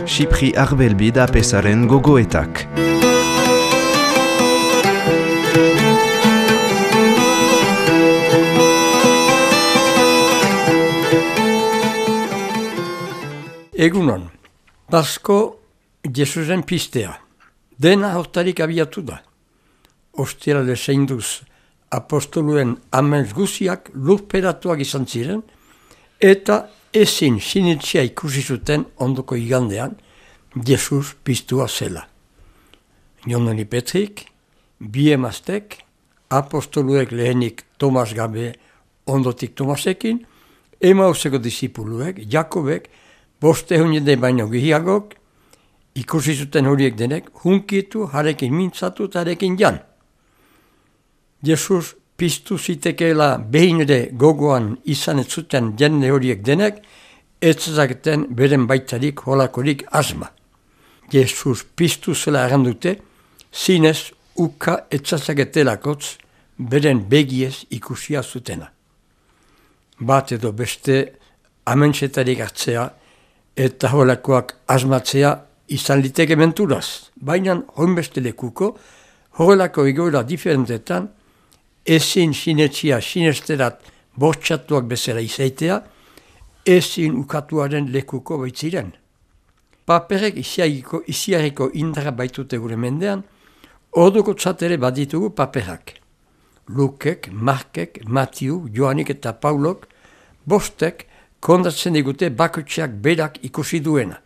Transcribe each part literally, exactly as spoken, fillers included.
Xipri Arbelbi da pesaren gogoetak. Egunon, Pasko Jesusen pistea. Dena hortarik abiatu da. Ostirale zeinduz apostoluen amens guziak lurperatuak izan ziren, eta ezin sinitzia ikusi zuten ondoko igandean Jesus piztua zela. Joneli Petrik, bi emaztek, apostoluek lehenik Tomas gabe ondotik Tomasekin, Emauseko disipuluek, Jakobek, boste hunide baino gehiagok, ikusi zuten horiek denek, hunkitu, harekin mintzatu eta harekin jan. Jesus piztu zitekeela behin ere gogoan izan ez zuten jende horiek denek, ez zazaketen beren baitarik holakorik asma. Jesus piztu zela errandute, zinez uka ez zazaketelakotz beren begiez ikusia zutena. Bat edo beste amentsetarik hartzea eta holakoak asmatzea izan liteke menturaz, baina honbeste lekuko, horrelako egoera diferentetan, ezin sinetzia sinesterat bortxatuak bezala izaitea, ezin ukatuaren lekuko baitziren. Paperek iziareko indara baitute gure mendean, orduko txatere baditugu paperak. Lukek, Markek, Matiu, Joanik eta Paulok, bostek kondatzen digute bakotxeak berak ikusi duena.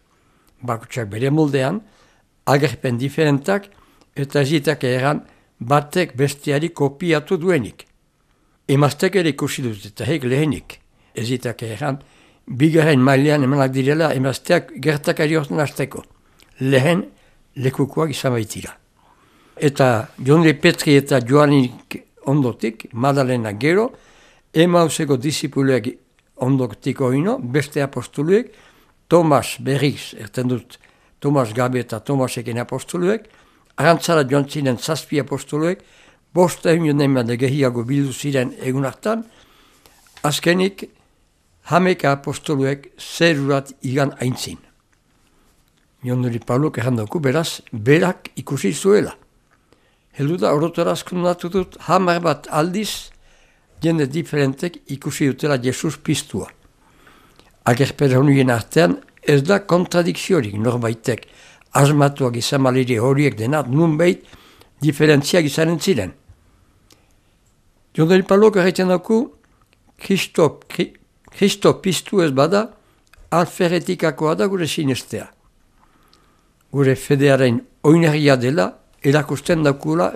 Bakotxeak bere moldean, agerpen diferentak eta ezitak eran batek besteari kopiatu duenik. Emaztek ere ikusi dut eta hek lehenik. Ezitak eran, bigarren mailean emanak direla emazteak gertakari horten hasteko. Lehen lekukoak izan baitira. Eta Joneli Petri eta Joanik ondotik, Madalena gero, Emauseko disipuluek ondotik oino, beste apostoluek, Tomas berriz, erten dut, Tomas gabe eta Tomasekin apostoluek, arantzara joan ziren zazpi apostoluek, bosta egun emade gehiago bildu ziren egun hartan, azkenik hameka apostoluek zerurat igan aintzin. Joneli Paulok errandoku beraz, berak ikusi zuela. Heldu da orotoraz kondatu dut, hamar bat aldiz, jende diferentek ikusi dutela Jesus piztua. Agerpera honien artean ez da kontradikziorik norbaitek asmatuak izan maliri horiek denat nunbait diferentziak izanen ziren. Joneli Paulok erraiten dauku, Kristo piztu ez bada, alferetikakoa da gure sinestea. Gure fedearen oinarria dela, erakusten daukula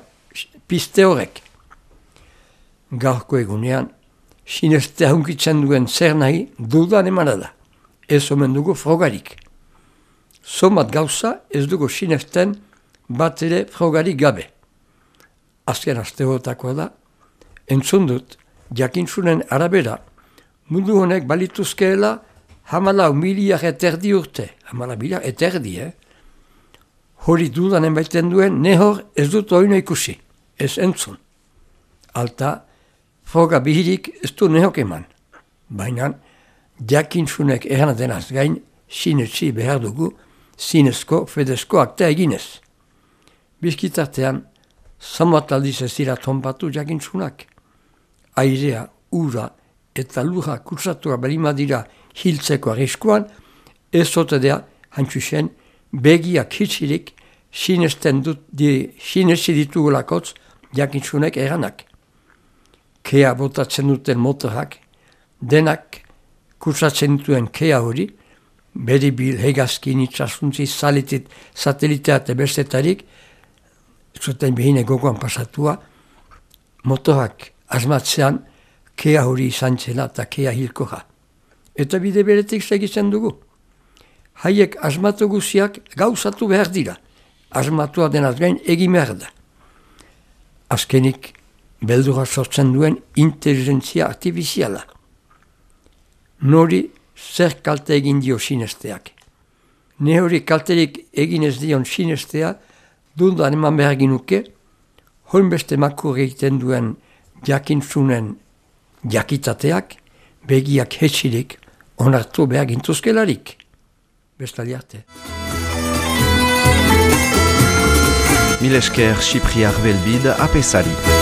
pizte horrek. Gaurko egunean, sinestea hunkitzen duen zer nahi dudan emana da. Ez omen dugu frogarik. Somat gauza ez dugu sinesten bat ere frogarik gabe. Azken asteotakoa da, entzun dut, jakintzunen arabera, mundu honek balituzkeela hamalau miliak eterdi urte. Hamalau miliak eterdi, eh? Hori dudanen baiten duen, nehor ez dut oino ikusi, ez entzun. Alta, froga bihirik ez du nehok eman. Baina, jakintzunek eranatenaz gain, sinetsi behar dugu, zinezko, fedezko akta eginez. Bizkitartean, zamat aldiz ez dira tonpatu jakintzunak. Airea, ura eta lura kursatua balima dira hiltzeko arriskuan, ez zotedea hantxusen, begiak hitzirik sinesten dut di sinesi ditugulakotz jakintzunek eranak. Kea botatzen duten motorak, denak kursatzen dituen kea hori, beribil, hegazkin, itxasuntzi, salitit, satelitea eta bestetarik, zuten behine gogoan pasatua, motorak asmatzean kea hori izan zela eta kea hilkoa. Eta bide beretik segitzen dugu. Haiek asmatu guziak gauzatu behar dira. Asmatua denaz gain egin behar da. Azkenik, beldura sortzen duen inteligentzia artifiziala. Nori zer kalte egin dio sinesteak. Ne hori kalterik egin ez dion sinestea, dundan eman behar ginuke, honbeste makur egiten duen jakintzunen jakitateak, begiak hetxirik, onartu behar gintuzkelarik. Bestali arte. Mil esker Sipriar Belbid apesari.